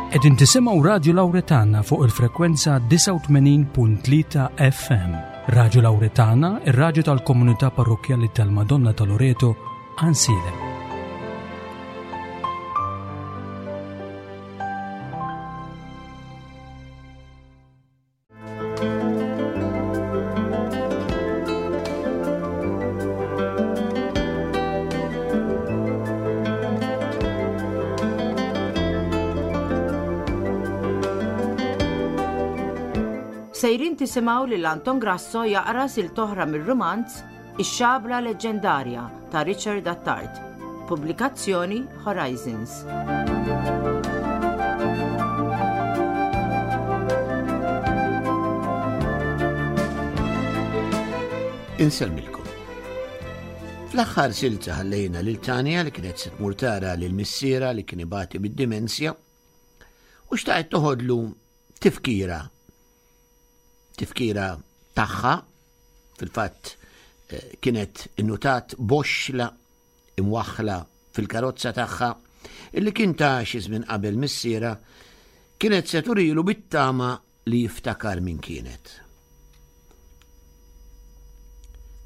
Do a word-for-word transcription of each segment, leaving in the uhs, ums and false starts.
Qegħdin tisimgħu Radju Lawretana fuq il-frekwenza disgħa u tmenin punt tlieta F M. Radju Lawretana, ir-radju tal-Komunità Parrokkjali tal-Madonna ta' Loreto, Għajnsielem. Sejrin tisimgħu lil Anton Grasso jaqra silta oħra mir-rumanz Ix-Xabla Leġġendarja ta' Richard Attard. Pubblikazzjoni Horizons. Insellmilkom. Fl-aħħar silta ħallejna lil Tanja li kienet se tmur tara lil missiera li kien ibati bid-dimensja u xtaqet toħodlu tifkira tifkira tagħha. Fil-fatt eh, kienet innutat boxla imwaħħla fil-karozza tagħha illi kien ta' xi żmien qabel missiera. Kienet se turilu bit-tama li jiftakar min kienet.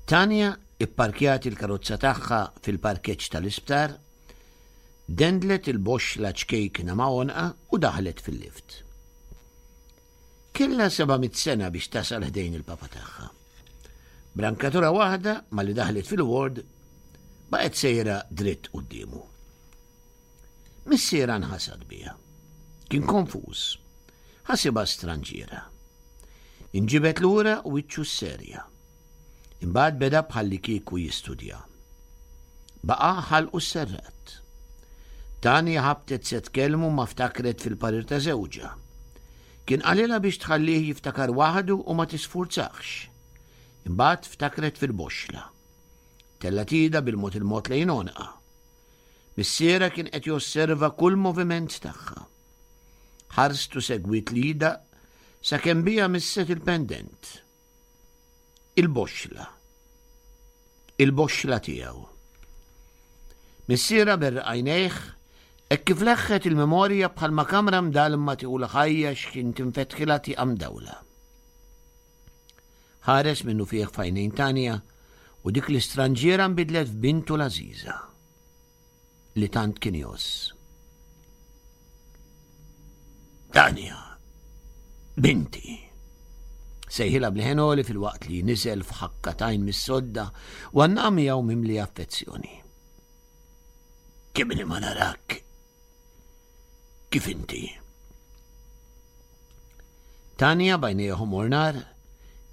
Tanja ipparkjat il-karozza tagħha fil-parkeġġ tal-isptar, dendlet il-boxla ċkejkna ma' għonqha u daħlet fil-lift. Kella seba' mitt sena biex tasal ħdejn il-papa tagħha. B'rankatura waħda, malli daħlet fil-ward, baqgħet sejra dritt quddiemu. Missiera nħasad biha. Kien konfuż. Ħasibha stranġiera. Inġibed lura u wiċċu serja. Imbagħad beda bħalli kieku jistudja. Baqa' ħalqu serrat. Tanja ħabtet se tkellmu imma ftakret fil-parir ta' żewġha. Kien qalilha biex tħallih jiftakar waħdu u ma tisfurzax. Imbagħad ftakret fil-boxla. Tellgħet idha bil-mod il-mod lejn għonqha. Missiera kien qed josserva kull moviment tagħha. Ħarstu segwit l-id sakemm biha misset il-pendent. Il-boxla. Il-boxla tiegħu. Missiera berraq għajnejh hekk kif leħħet il-memorja bħalma kamra mdalma tieħu l-ħajja x'ħin tinfetħilha tieqa mdawla. Ħares minnufih f'għajnejn Tanja u dik l-istranġiera nbidlet f'bintu l-għażiża li tant kien jgħożż. "Tanja, binti," sejħilha b'leħen għoli filwaqt li niżel f'ħakka t'għajn mis-sodda u għannaqha miegħu mimli affezzjoni. "Kemm ili ma narak? Kif inti?" Tanja, b'għajnejha ħomor nar,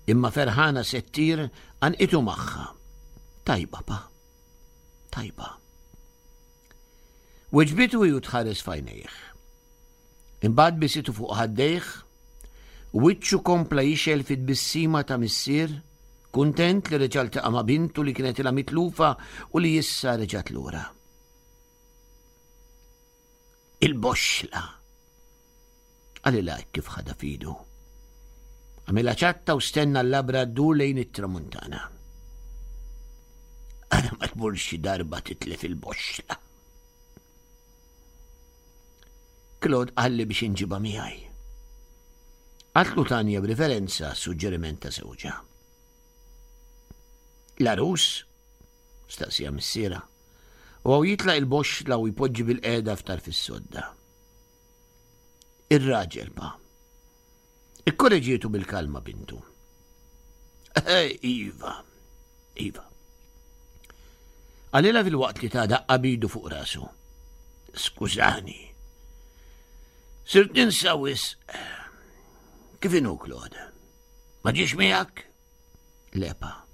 imma ferħana se ttir, għannqitu magħha. "Tajba, pa. Tajba," weġbitu u tħares f'għajnejh. Imbagħad bisitu fuq ħaddejh u wiċċu kompla jixgħel fit-tbissima ta' missier kuntent li reġa' ltaqa' ma' bintu li kienet ilha mitlufa u li issa reġgħet lura. "Il-boxla," qalilha kif ħadha f'idu. Għamilha ċatta u stenna l-labra ddur lejn it-tramuntana. "Ara ma tmur xi darba titlef il-boxla. Claude qalli biex inġibha miegħi," qaltlu Tanja b'riferenza suġġeriment ta' żewġha. "L-għarus?" staqsieha missiera. U hu jitlaq il-boxla u jpoġġi bilqiegħda f'tarf is-sodda. "Ir-raġel, pa," ikkoreġietu bil-kalma bintu. "Iva, iva," qalilha filwaqt li ta daqqa b'idu fuq rasu. "Skużani. Sirt ninsa wisq. Kif inhu Claude? Ma ġiex miegħek?" "Le, pa.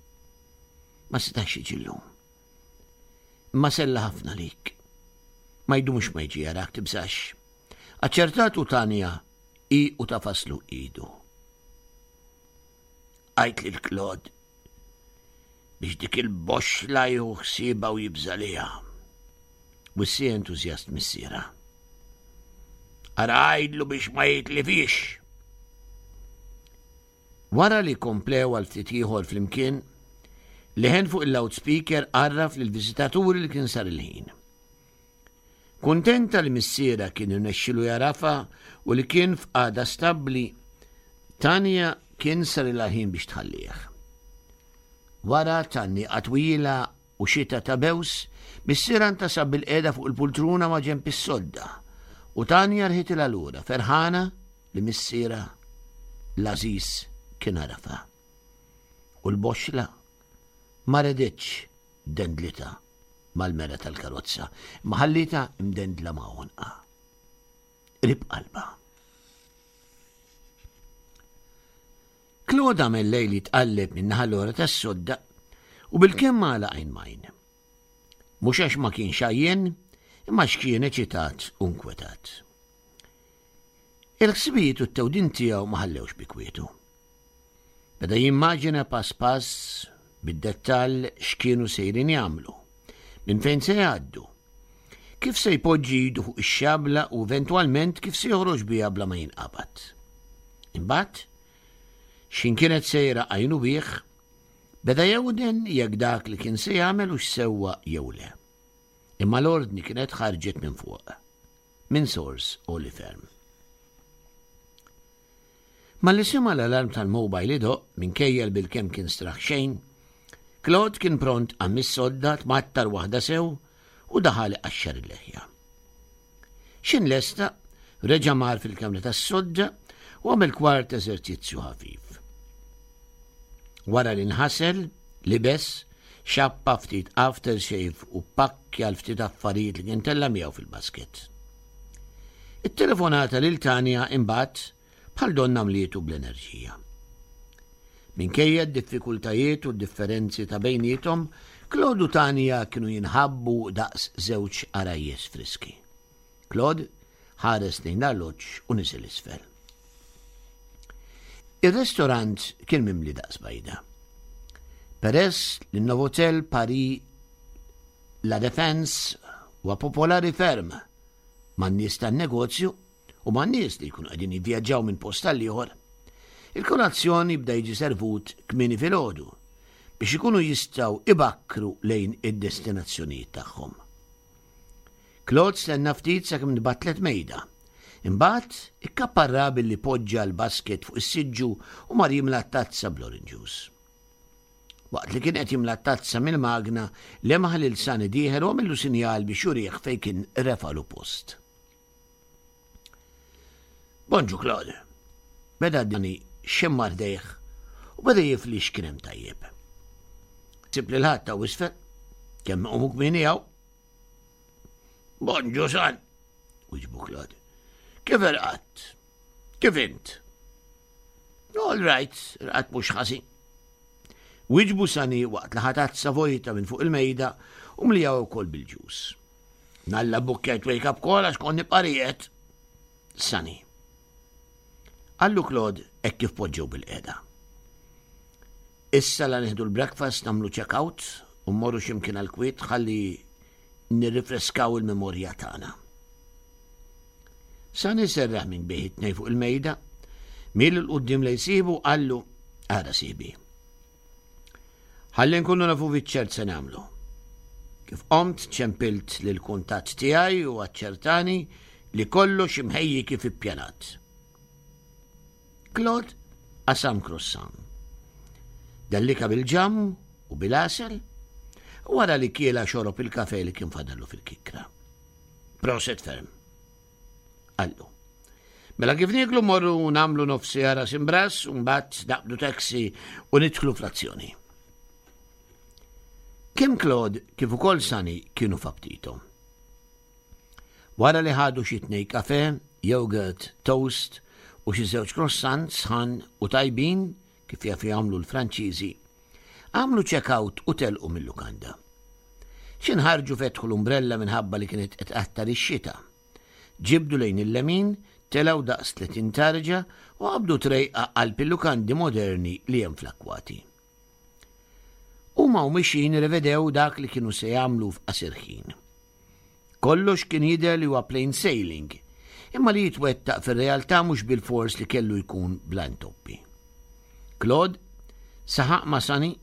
Ma setax jiġi llum. Imma sellem ħafna lik. Ma jdumx ma jiġi jarak, tibżax," aċċertatu Tanja hi u tagħfaslu idu. "Għid lil Claude biex dik il-boxla jieħu ħsiebha u jibża' liha," wissieha entużjast missiera. "Ara għidlu biex ma jitlifhiex." Wara li komplew għal ftit ieħor flimkien, leħen fuq il-loudspeaker għarraf lill-viżitaturi li kien sar il-ħin. Kuntenta li missierha kien irnexxielu jagħrafha u li kien f'qagħda stabbli, Tanja kien sarilha ħin biex tħallih. Wara tgħanniqa twila u xita ta' bews, missierha ntasab bilqiegħda fuq il-pultruna ma' ġenb is-sodda u Tanja rħitilha lura ferħana li missierha l-għażiż kien għarafha. U l-boxla ma reditx dendlitha mal-mera tal-karozza, imma ħallietha imdendla ma' għonqha. Qrib qalbha. Claude għamel lejl jitqalleb minn naħa l-ora tas-sodda u bilkemm għalaq għajn m'għajn. Mhux għax ma kienx għajjien, imma għax kien eċitat u nkwetat. Il-ħsibijiet u t-tewdin tiegħu ma ħallewx bi kwietu. Beda jimmaġina pass pass bid-dettall x'kienu sejrin jagħmlu, minn fejn se jgħaddu, kif se jpoġġi idu fuq ix-xabla u eventwalment kif se joħroġ biha bla ma jinqabad. Imbagħad, x'ħin kienet sejra għajnu bih, beda jewden jekk dak li kien se jagħmel hux sewwa jew le. Imma l-ordni kienet ħarġet minn fuq, minn sors għoli ferm. Malli sema' l-alarm tal-mobile idoqq, minkejja li bilkemm kien straħ xejn, Claude kien pront qam mis-sodda, tmattar waħda sew u daħal iqaxxar il-leħja. X'in lesta, reġa' mar fil-kamra tas-sodda u għamel kwart eżerċizzju ħafif. Wara li nħasel, libes, xappa ftit aftershave u pakkja l-ftit affarijiet li kien tella' miegħu fil-basket. It-telefonata lil Tanja imbagħad bħal donna mlietu bl-enerġija. Minkejja d-diffikultajiet u d-differenzi ta' bejniethom, Claude u Tanja kienu jinħabbu daqs żewġ għarajjes friski. Claude ħares lejn l-arloġġ u niżel isfel. Ir-restorant kien mimli daqs bajda. Peress li n-Novotel Paris La Défense huwa popolari ferm man-nies tan-negozju u man-nies li jkunu qegħdin jivvjaġġaw minn post għal ieħor, il-kolazzjon jibda jiġi servut kmieni filgħodu biex ikunu jistgħu ibakkru lejn id-destinazzjonijiet tagħhom. Claude stenna ftit sakemm tbattlet mejda. Imbagħad ikkapparra billi poġġa l-basket fuq is-siġġu u mar jimla tazza bl-orange juice. Waqt li kien qed jimla tazza mill-magna, lemaħ lil Sani dieħel u għamillu sinjal biex jurih fejn kien refalu post. Bonġu Claude. Beda Dani xemmar dejh u beda jifli x'kien hemm tajjeb. Sib lil ħadd ta' isfel, kemm iqumu kmieni hawn. Bonġu San, wieġbu Claude. Kif irqadt? Kif int? All right, irqadt mhux ħażin. Wieġbu Sani waqt li ħa tazza vojta minn fuq il-mejda u mliha wkoll bil-ġus. Nalla bukkejt wake up call għax kont nibqa' rieqed. Sani. Qallu Claude hekk kif poġġew bil-qiegħda. Issa la nieħdu l-breakfast nagħmlu check out u mmorru x'imkien għall-kwiet ħalli nirrifreskaw il-memorja tagħna. Sani serraħ minn bih it-tnejn fuq il-mejda, miel 'il quddiem lejn sieħbu u qallu, Ara sieħbi. Ħalli nkunu nafu fiċ-ċert se nagħmlu. Kif qomt ċempilt lill-kuntatt tiegħi u aċċertani li kollox imħejji kif ippjanat. Claude qasam croissant. Dellika bil-ġamm u bil-għasel u wara li kiela xorob il-kafe li kien fadallu fil-kikra. Proset ferm. Qallu. Mela kif nieklu morru nagħmlu nofsi ras imbras u mbagħad naqbdu taxi u nidħlu fl-azzjoni. Kemm Claude kif ukoll Sani kienu f'aptitom. Wara li ħadu xi tnej kafe, yogurt, toast u xi żewġ croissant sħan u tajbin kif jafu jagħmlu l-Franċiżi, għamlu check-out u telqu mil-lukanda. Xi nħarġu fetħu l-umbrella minħabba li kienet qed tqattar ix-xita. Ġibdu lejn il-lemin, telgħu daqs tletin tarġa u qabdu trejqa qalb il-lukandi moderni li hemm fl-akkwati. Huma u mixjin irrevedew dak li kienu se jagħmlu f'qasir ħin. Kollox kien jidher li huwa plain sailing, imma li jitwettaq fir-realtà mhux bilfors li kellu jkun bla intoppi. Claude saħaq ma' Sunny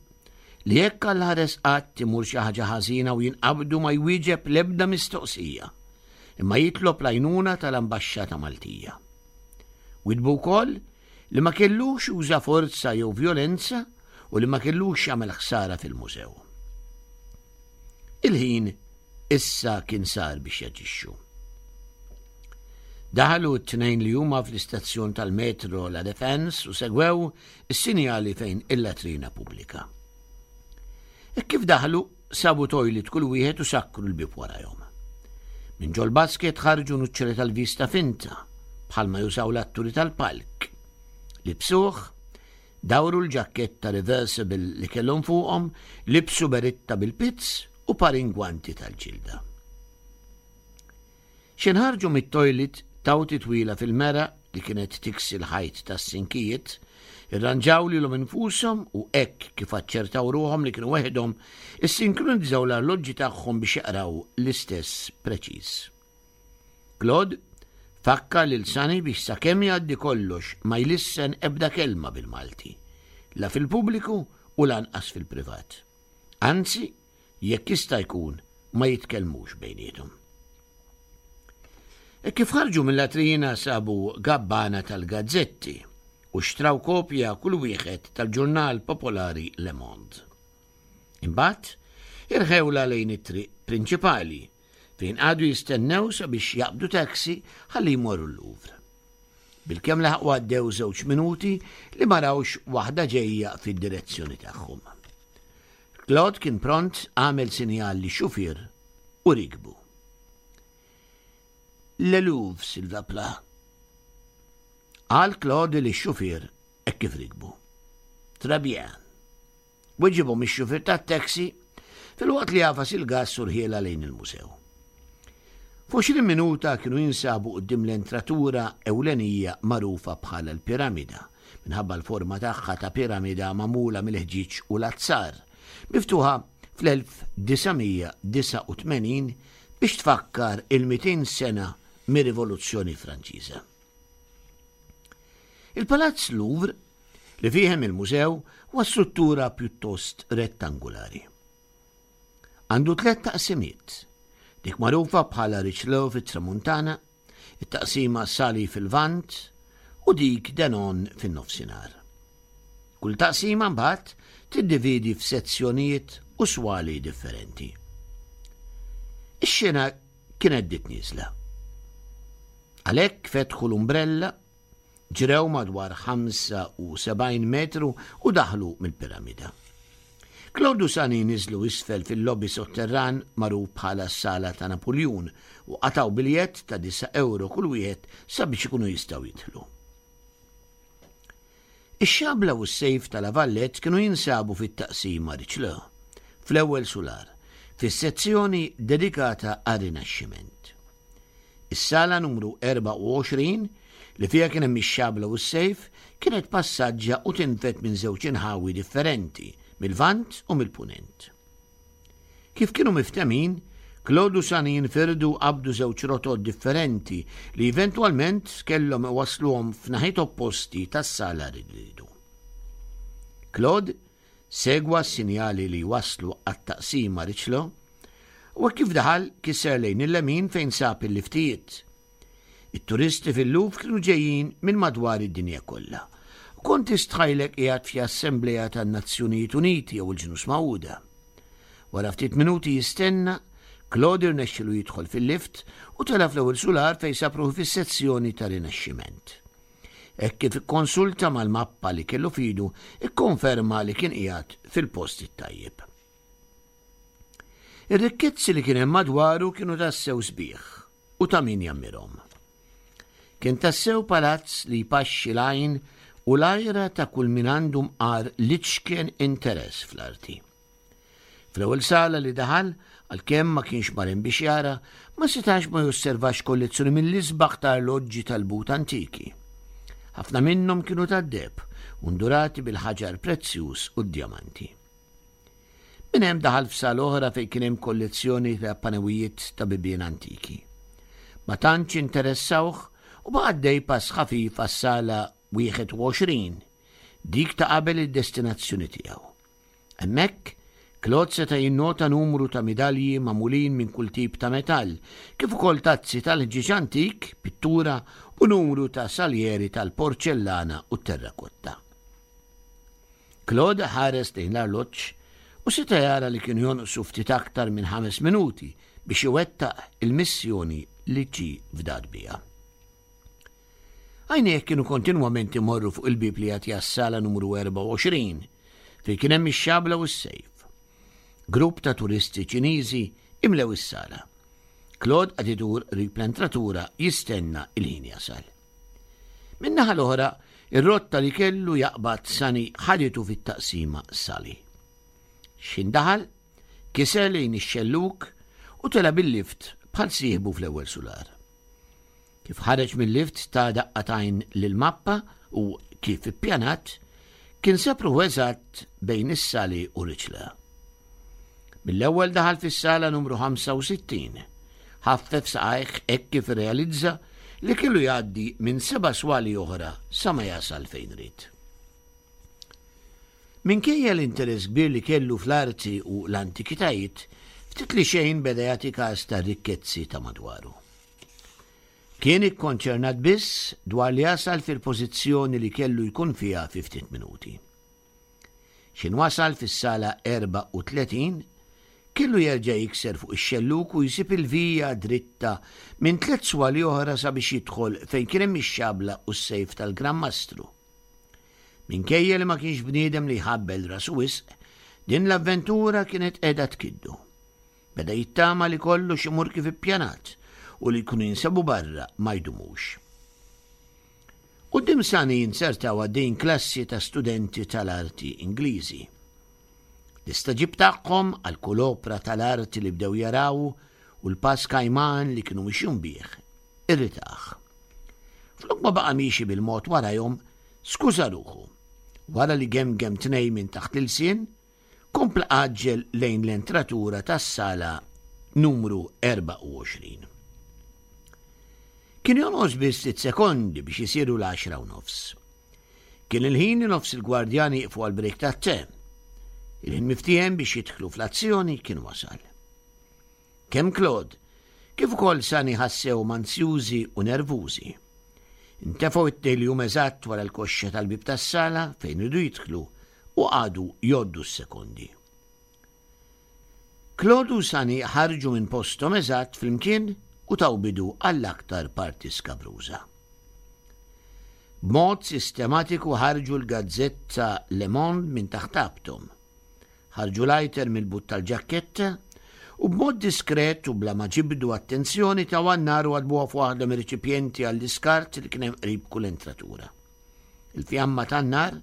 li jekk Alla ħares qatt imur xi ħaġa ħażina u jinqabdu ma jwieġeb l-ebda mistoqsija, imma jitlob l-għajnuna tal-Ambaxxata Maltija. Widdbu wkoll li ma kellux juża forza jew vjolenza u li ma kellux jagħmel ħsara fil-mużew. Il-ħin issa kien sar biex jaġixxu. Daħlu t-tnejn li huma fl-istazzjon tal-metro La Defense u segwew is-sinjali fejn il-latrina pubblika. E kif daħlu, sabu toilet kull wieħed u sakkru l-bib warajhom. Minn ġol basket ħarġu nuċċeri tal-vista finta, bħalma jużaw l-atturi tal-palk. Libsuh, dawru l-ġaketta reversible li kellhom fuqhom, libsu beritta bil-pizz u par ingwanti tal-ġilda. X'ħin ħarġu mit-toilet taw titwila fil-mera li kienet tiksi l-ħajt tas-sinkijiet, irranġaw lilhom infushom u hekk kif aċċertaw ruħhom li kienu weħidhom, issinkronizzaw l-arloġġi tagħhom biex jaqraw l-istess preċiż. Claude fakkar lil Sani biex sakemm jgħaddi kollox ma jlissen ebda kelma bil-Malti, la fil-pubbliku u lanqas fil-privat. Anzi, jekk jista' jkun ma jitkellmux bejniethom. E kif ħarġu mill-latrina sabu gabbana tal-gazzetti u xtraw kopja kull wieħed tal-ġurnal popolari Le Monde. Imbagħad irħewla lejn it-triq prinċipali fejn għadu jistennew sabiex jaqbdu taxi ħalli jmorru l-Louvre. Bilkemm laħqu għaddew żewġ minuti li ma rawx waħda ġejja fid-direzzjoni tagħhom. Claude kien pront għamel sinjal lix-xufier u rikbu. Le Louvre, s'il vous plaît. Qal Claude lix-xufier hekk kif rikbu. Très bien. Weġibhom ix-xufier tat-taxi filwaqt li għafas il-gas u rħiela lejn il-mużew. F'għoxrin minuta kienu jinsabu quddiem l-entratura ewlenija magħrufa bħala l-piramida, minħabba l-forma tagħha ta' piramida magħmula mill-ħġieġ u l-azzar, miftuħa fl-elf disa' mija disa' u tmenin biex tfakkar il-mitin sena mir-Rivoluzzjoni Franċiża. Il-Palazz Louvre, li fihem il-mużew, huwa struttura pjuttost rettangolari. Għandu tliet taqsimiet, dik magħrufa bħala Richelieu fit-Tramuntana, it-taqsima Sully fil-Lvant u dik Denon fin-nofsinhar. Kull taqsima mbagħad tiddividi f'sezzjonijiet u swali differenti. Ix-xena kienet bdiet nieżla. Għalhekk fetħu l-umbrella, ġrew madwar ħamsa u sebgħin metru u daħlu mill-piramida. Claude u Sani niżlu isfel fil-lobby sotterran magħruf bħala s-sala ta' Napoleon u qataw biljett ta' disa' euro kull wieħed sabiex ikunu jistgħu jidħlu. Ix-xabla u s-sejf tal-Avallet kienu jinsabu fit-taqsima Richelieu, fl-ewwel sular, fis-sezzjoni dedikata għar-Rinaxximent. Is-sala numru erbgħa u għoxrin, li fiha kien hemm ix-xabla u s-sejf, kienet passaġġa u tinfet minn żewġ inħawi differenti, mill-Lvant u mill-Punent. Kif kienu miftemin, Claude u Sani jinfirdu qabdu żewġ rotot differenti li eventwalment kellhom iwasluhom f'naħiet opposti tas-sala li rridu. Claude segwa s-sinjali li waslu għat-taqsima Richelieu u kif daħal kisser lejn il-lemin fejn sab il-liftijiet. It-turisti fil-Louvre kienu ġejjin minn madwar id-dinja kollha. Kont tistħajlek qiegħed fi Assembleja tan-Nazzjonijiet Uniti jew il-Ġnus Magħquda. Wara ftit minuti jistenna, Claude irnexxielu jidħol fil-lift u tela' fl-ewwel sular fejn sab ruħu fis-sezzjoni ta' Rinaxximent. Hekk kif ikkonsulta mal-mappa li kellu fidu, ikkonferma li kien qiegħed fil-post it-tajjeb. Ir-rikkezzi li kien hemm madwaru kienu tassew sbieħ u ta' min jammirhom. Kien tassew palazz li jpaxxi l-għajn u l-ajra ta' kull min għandu mqar l-iċken interess fl-arti. Fl-ewwel sala li daħal, għalkemm ma kienx marin biex jara, ma setax ma josservax kollezzjoni mill-isbaħ ta' arloġġi tal-but antiki. Ħafna minnhom kienu tad-deheb u ndurati bil-ħaġar prezzjuż u d-djamanti. Minn hemm daħal f'sala oħra fejn kien hemm kollezzjoni ta' panewijiet ta' bibien antiki. Ma tantx interessawh u baqa' għaddej pass ħafif għas-sala wieħed u għoxrin, dik ta' qabel id-destinazzjoni tiegħu. Hemmhekk Claude seta' jinnota numru ta' midalji magħmulin minn kull tip ta' metall, kif ukoll tazzi tal-ħġieġ antik, pittura u numru ta' saljeri tal-porċellana u terrakotta. Claude ħares lejn l-arloġġ u seta' jara li kienu jonqsu ftit aktar minn ħames minuti biex iwettaq il-missjoni li ġie fdat biha. Għajnejh kienu kontinwament imorru fuq il-bieb li jagħti għas-sala numru erbgħa u għoxrin, fejn kien hemm ix-xabla u s-sejf. Grupp ta' turisti Ċiniżi imlew is-sala. Claude qagħad idur qrib l-entratura jistenna il-ħin jasal. Min-naħa l-oħra, ir-rotta li kellu jaqbad Sani ħaditu fit-taqsima Sali. X'ħin daħal, kiser lejn ix-xelluk u tela bil-lift bħal sieħbu fl-ewwel sular. Kif ħareġ mill-lift, ta daqqa t'għajn lill-mappa u, kif ippjanat, kien sab ruħu eżatt bejn is-Sali u Riċla. Mill-ewwel daħal fis-sala numru ħamsa u sittin. Ħaffef saqajh hekk kif realizza li kellu jgħaddi minn seba' swali oħra sa ma jasal fejn ried. Minkejja l-interess kbir li kellu fl-arti u l-antikitajiet, ftit li xejn beda jagħti każ ta' rikkezzi ta' madwaru. Kien ikkonċernat biss dwar li jasal fil-pożizzjoni li kellu jkun fiha fi ftit minuti. X'ħin wasal fis-sala erbgħa u tletin, kellu jerġa' jikser fuq ix-xelluk u jsib il-vija dritta minn tliet swali oħra sabiex jidħol fejn kien hemm ix-xabla u s-sejf tal-Gran Mastru. Minkejja li ma kienx bniedem li jħabbel rasu wisq, din l-avventura kienet qiegħda tkiddu. Beda jittama li kollox imur kif ippjanat u li jkunu jinsabu barra ma jdumux. Quddiem Sani jinzertaw għaddejn klassi ta' studenti tal-arti Ingliżi. L-istagħġib tagħhom għal kull opra tal-arti li bdew jaraw u l-pass kajman li kienu mixjin bih, irritah. Flok ma baqa' miexi bil-mod warajhom, skuża ruħu. Wara li gemgem tnejn minn taħt l-ilsien, kompla għaġġel lejn l-entratura tas-sala numru erbgħa u għoxrin. Kien jonqos biss sitt sekondi biex isiru l-għaxra u nofs. Kien il-ħin li nofs il-gwardjani jieqfu għal-break tat-te. Il-ħin miftiehem biex jidħlu fl-azzjoni kien wasal. Kemm Claude, kif ukoll Sani ħassew ansjużi u nervużi. Intefgħu it-tnejn li huma eżatt wara l-koxxa tal-bib tas-sala fejn iridu jidħlu u qagħdu jgħoddu s-sekondi. Claude u Sani ħarġu minn postom eżatt flimkien u taw bidu għall-aktar parti skabruża. B'mod sistematiku ħarġu l-gazzetta Le Monde minn taħt abthom. Ħarġu lighter mill-but tal-ġakketta u b'mod diskret u bla ma ġibdu attenzjoni taw għan-nar u għadbuha f'waħda mir-reċipjenti għall-iskart li kien hemm qrib kull entratura. Il-fjamma tan-nar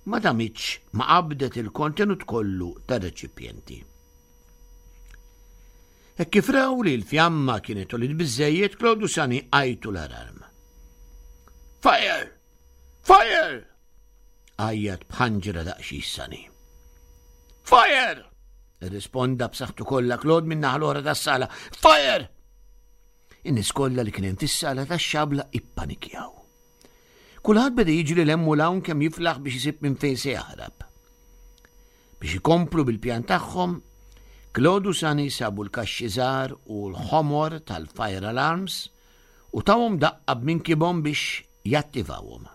ma damitx ma qabdet il-kontenut kollu tar-reċipjenti. Hekk kif raw li l-fjamma kienet għoliet biżżejjed, Claude u Sani għajtu l-alarm. "Fire! Fire!" għajjat b'ħanġra daqsxejn Sani. "Fire!" Irrisponda b'saħħtu kollha Claude minn naħa l-oħra tas-sala. "Fire!" In-nies kollha li kien hemm fis-sala tax-xabla ippanikjaw. Kulħadd beda jiġri 'l hemm u 'l hawn kemm jiflaħ biex isib minn fejn se jaħrab. Biex ikomplu bil-pjan tagħhom, Claude u Sani sabu l-kaxxi żgħar u l-ħomor tal-fire alarms u tawhom daqqa b'minkibhom biex jattivawhom.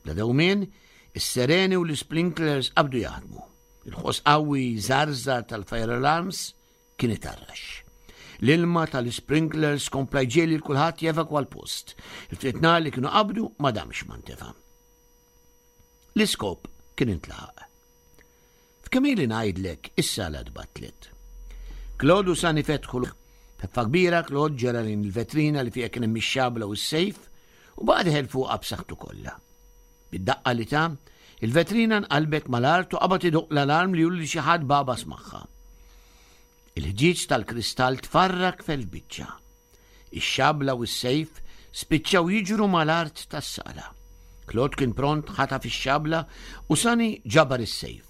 Bla dewmien, is-sereni u l-sprinklers qabdu jaħdmu. Il-ħoss qawwi żarżar tal-fire alarms kien itarrax. L-ilma tal-sprinklers kompla jġiegħel lil kulħadd jevakwa l-post. Il-ftit nar li kienu qabdu ma damx ma ntefa. L-iskop kien intlaħaq. F'kemm ili ngħidlek, is-sala tbattlet. Claude u Sani fetħu b'ħeffa kbira. Claude ġera lejn il-vetrina li fiha kien hemm ix-xabla u s-sejf u baqa' dieħel fuqha b'saħħtu kollha. Bid-daqqa li ta, il-vetrina nqalbet mal-art u qabad idoqq l-alarm li juri li xi ħadd bagħbas magħha. Il-ħġieġ tal-kristall tfarrak f'elf biċċa. Ix-xabla u s-sejf spiċċaw jiġru mal-art tas-sala. Claude kien pront ħataf ix-xabla u Sani ġabar is-sejf.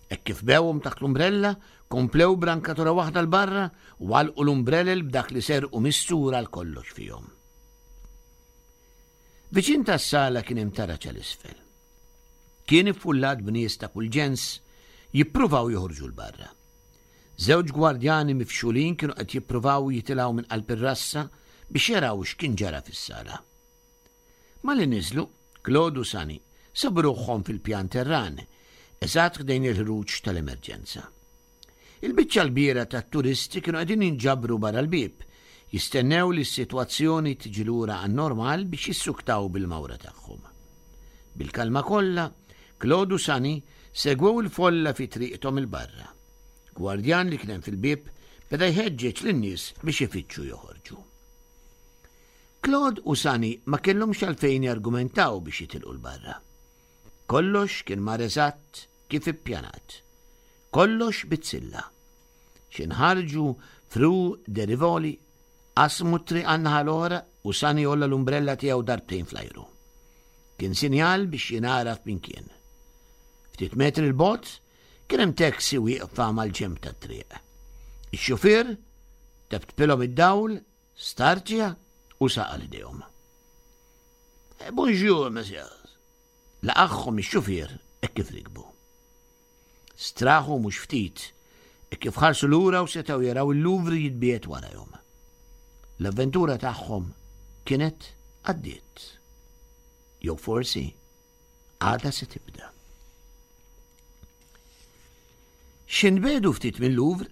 Hekk kif bewhom taħt l-umbrella, komplew brankatura waħda 'l barra u għalqu l-umbrellel b'dak li serqu mistura għal kollox fihom. Viċin tas-sala kien hemm taraġ 'l isfel. Kien iffullat b'nies ta' kull ġens jippruvaw joħorġu 'l barra. Żewġ gwardjani mifxulin kienu qed jippruvaw jitilgħu minn qalb ir-rassa biex jaraw x'kien ġara fis-sala. Malli niżlu, Claude u Sunny sabu ruħhom fil-pjan terran, eżatt ħdejn il-ħruġ tal-emerġenza. Il-biċċa l-kbira tat-turisti kienu qegħdin jinġabru barra l-bieb, jistennew li s-sitwazzjoni tiġi lura għan-normal biex jissuktaw bil-mawra tagħhom. Bil-kalma kollha, Claude u Sunny segwew il-folla fi triqthom 'il barra. Gwardjan li kien hemm fil-bieb beda jħeġġeġ lin-nies biex ifittxu joħorġu. Claude u Sunny ma kellhomx għalfejn jargumentaw biex jitilqu 'l barra. Kollox kien mar eżatt kif ippjanat. Kollox bizzilla. X'ħin ħarġu f'Rue de Rivoli, qasmu t-triq għan-naħa l-oħra u Sunny għolla l-umbrella tiegħu darbtejn fl-ajru. Kien sinjal biex jingħaraf min kien. Ftit metri 'l bogħod kien hemm taxi wieqfa mal-ġenb tat-triq. Ix-xufier teptpilhom id-dawl, startja u saq għal ħdejhom. "Bonjour, messieurs." Laqagħhom ix-xufier hekk kif rikbu. Straħu mhux ftit hekk kif ħarsu lura u setgħu jaraw il-Louvre jitbiegħed warajhom. L-avventura tagħhom kienet għaddiet. Jew forsi għadha se tibda. X'ħin tbiegħdu ftit mill-Louvre,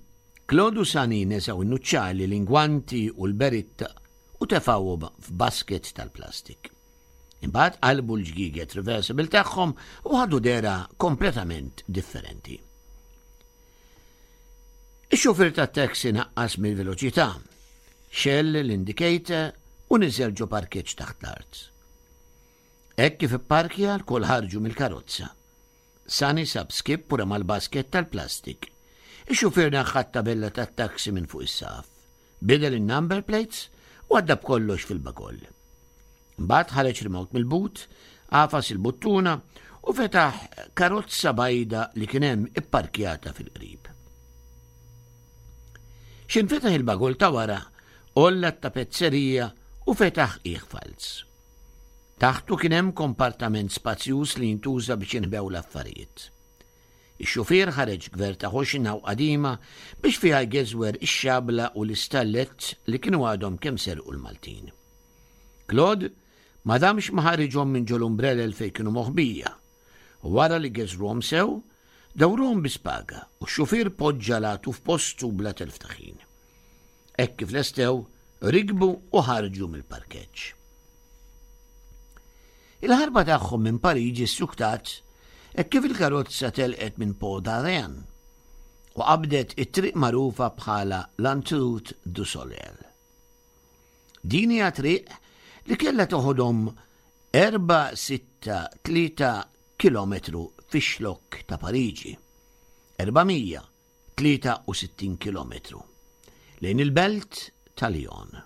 Claude u Sunny neżgħu n-nuċċali, l-ingwanti u l-beritta u tefgħuhom f'basket tal-plastik. Imbagħad qalbu l-ġgieget reversible tagħhom u ħadu dehra kompletament differenti. Ix-xufier tat-taxi naqqas mill-veloċità, xegħel l-indicator u niżel ġo parkeġġ taħt l-art. Hekk kif ipparkja, lkoll ħarġu mill-karozza. Sunny sab skip u rema l-basket tal-plastik. Ix-xufier neħħa t-tabella tat-taxi minn fuq is-saqaf. Bidel in-number plates u għadda b'kollox fil-bagoll. Mbagħad ħareġ remote mill-but, għafas il-buttuna u fetaħ karozza bajda li kien hemm ipparkjata fil-qrib. X'ħin fetaħ il-bagoll ta' wara, għolla t-tapezzerija u fetaħ qiegħ falz. Taħtu kien hemm kompartament spazjuż li jintuża biex jinħbew l-affarijiet. Ix-xufier ħareġ gverta ħoxna u qadima biex fiha jgeżwer ix-xabla u l-istallett li kienu għadhom kemm serqu l-Maltin. Claude ma damx ma ħariġhom minn ġol-umbrellel fejn kienu moħbija. U wara li geżruhom sew, dawruhom bi spaga u x-xufier poġġa l-għatu f'postu bla telf ta' ħin. Hekk kif lestew, rikbu u ħarġu mill-parkeġġ. Il-ħarba tagħhom minn Pariġi ssuktat hekk kif il-karozza telqet minn Pont d'Arens u qabdet it-triq magħrufa bħala l-Autoroute du Soleil. Din hija triq li kellha toħodhom erba' sitta tlieta kilometru fix-xlokk ta' Pariġi, erba' mija tlieta u sittin kilometru lejn il-belt ta' Lyon.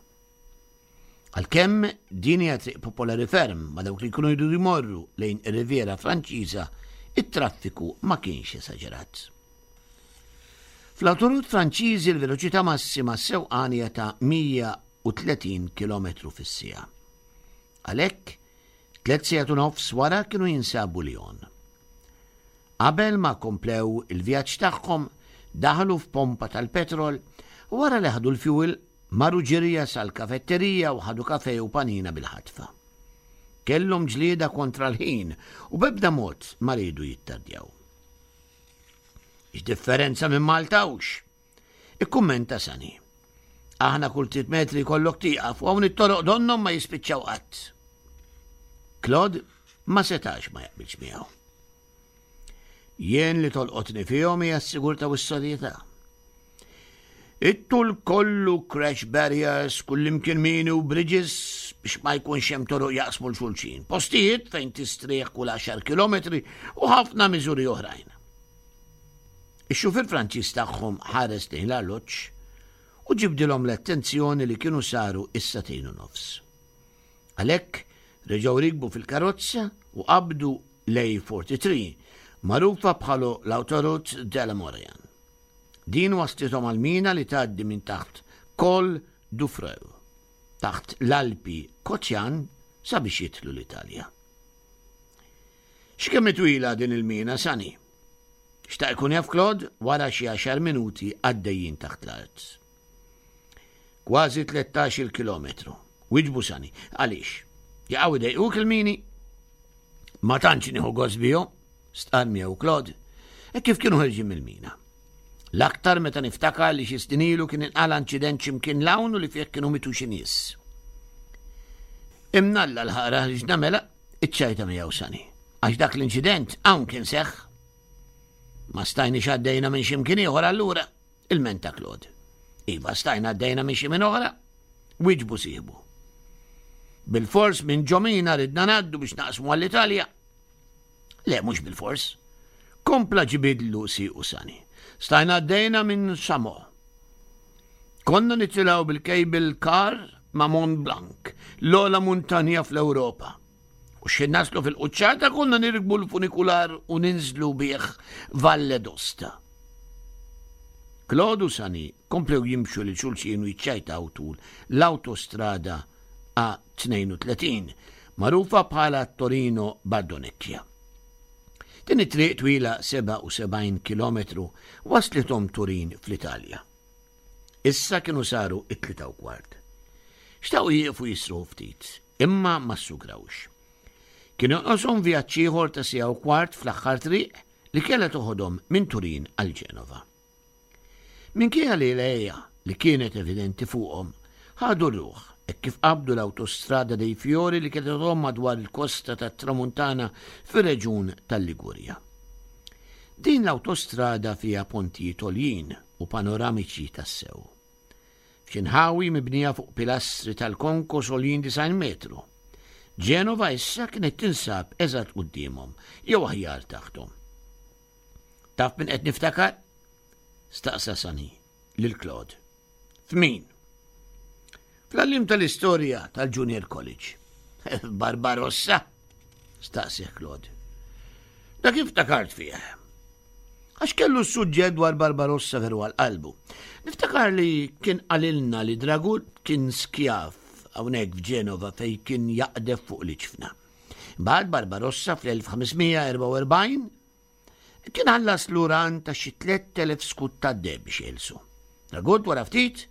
Għalkemm din hija triq popolari ferm ma' dawk li jkunu jridu jmorru lejn ir-Riviera Franċiża, it-traffiku ma kienx esaġerat. Fl-autoroute Franċiżi l-veloċità massima sewqan hija ta' mija u tletin kilometru fis-siegħa. Għalhekk, tliet sigħat u nofs wara kienu jinsabu Lyon. Qabel ma komplew il-vjaġġ tagħhom, daħlu f'pompa tal-petrol u wara li ħadu l-fuel marru ġirja sal-kafetterija u ħadu kafe u panina bil-ħatfa. Kellhom ġlieda kontra l-ħin u b'ebda mod ma riedu jittardjaw. X'differenza minn Malta hux? Ikkummenta Sunny. Aħna kull tliet metri kollok tieqaf u hawn it-toroq donnhom ma jispiċċaw qatt. Claude ma setax ma jaqbilx miegħu. Jien li tolqotni fihom hija s-sigurtà u s-serjetà. It-tul kollu crash barriers, kullimkien mini u bridges biex ma jkunx hemm toroq jaqsmu l-xulxin. Postijiet fejn tistrieħ kull għaxar kilometri u ħafna miżuri oħrajn. Ix-xufier Franċiż tagħhom ħares lejn l-arloġġ u ġibdilhom l-attenzjoni li kienu saru is-sagħtejn u nofs. Għalhekk reġgħu rikbu fil-karozza u qabdu l-A forty-three, magħrufa bħala l-Autoroute de la Maurienne. Din waslithom għal-mina li tgħaddi minn taħt Col du Freu, taħt l-Alpi Kotjan sabiex jidħlu l-Italja. X'kemm twila din il-mina, Sunny? Xtaq ikun jaf Claude wara xi għaxar minuti għaddejjin taħt l-art. Kważi tlettax-il kilometru. Wieġbu Sani. Għaliex? Jaqgħu idejquk il-mini? Ma tantx nieħu gost bihom, stqarr miegħu Claude, hekk kif kienu ħerġin mill-mina. L-aktar meta niftakar li xi snin ilu kien inqala' inċident x'imkien l-hawn u li fih kienu mitu xi nies. Imnalla l-ħara ħriġna mela, iċċajta miegħu Sani. Għax dak l-inċident hawn kien seħħ. Ma stajniex għaddejna minn x'imkien ieħor allura, ilmenta Claude. Iva stajna għaddejna minn xi minn oħra, wieġbu sieħbu. Bil-fors minn ġomina ridna ngħaddu biex naqsmu għall-Italja. Le, mhux bil-fors. Kompla ġibidlu siequ Sani. Stajna għaddejna minn Samo. Konna nitilgħu bil-cable car ma' Mont Blanc, l-ogħla muntanja fl-Ewropa. U x'ħin naslu fil-quċċata konna nirkbu l-funikular u ninżlu bih Valle d'Osta. Claude u Sani komplew jimxu lil xulxin u jiċċajtaw tul l-autostrada A tnejn u tletin, magħrufa bħala Torino Bardonecchia. Din it-triq twila sebgħa u sebgħin kilometru waslithom Turin fl-Italja. Issa kienu saru it-tlieta u kwart. Xtaqu jieqfu jisruħu ftit, imma ma ssugrawx. Kien jonqoshom vjaġġ ieħor ta' siegħa u kwart fl-aħħar triq li kellha toħodhom minn Turin għal Ġenova. Minkejja li l-għeja li kienet evidenti fuqhom, ħadu r-ruħ hekk kif qabdu l-autostrada dei Fiori li kienet toħodhom madwar il-kosta tat-Tramuntana fir-reġjun tal-Ligurja. Din l-autostrada fiha pontijiet għoljin u panoramiċi tassew. F'xi nħawi mibnija fuq pilastri tal-konkos għoljin disgħin metru. Ġenova issa kienet tinsab eżatt quddiemhom, jew aħjar taħthom. Taf min qed niftakar? Staqsa Sani lil Claude. F'min? Fl-għallim tal-istorja tal-Junior College. Barbarossa? Staqsih Claude. Da kif ftakart fih? Għax kellu s-suġġett dwar Barbarossa veru għal qalbu. Niftakar li kien qalilna li Dragut kien skjav hawnhekk f'Ġenova fej kien jaqdef fuq l-iġfna. Bad Barbarossa fl-elf ħamesmija erbgħa u erbgħin kien ħallas l-uran ta' xi tlett elef skut ta' deheb biex jeħilsu. Dragut wara ftit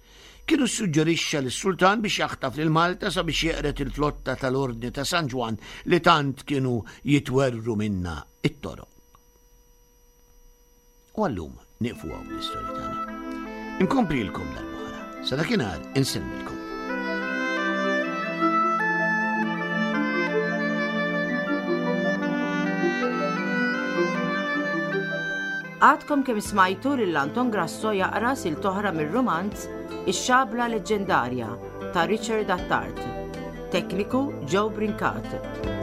kienu ssuġġerixxa lis-sultan biex jaħtaf lil Malta sabiex jeqred il-flotta tal-Ordni ta' San Ġwann li tant kienu jitwerru minna it-toroq. U għallum nieqfu hawn bl-istorja tagħna. Inkomplilkom darb'oħra. Sa dakinhar insellmilkom. Għadkom kemm smajtu lil Anton Grasso jaqra sil toħra mir-romanz Ix-Xabla Leġġendarja ta' Richard Attard. Tekniku Joe Brincat.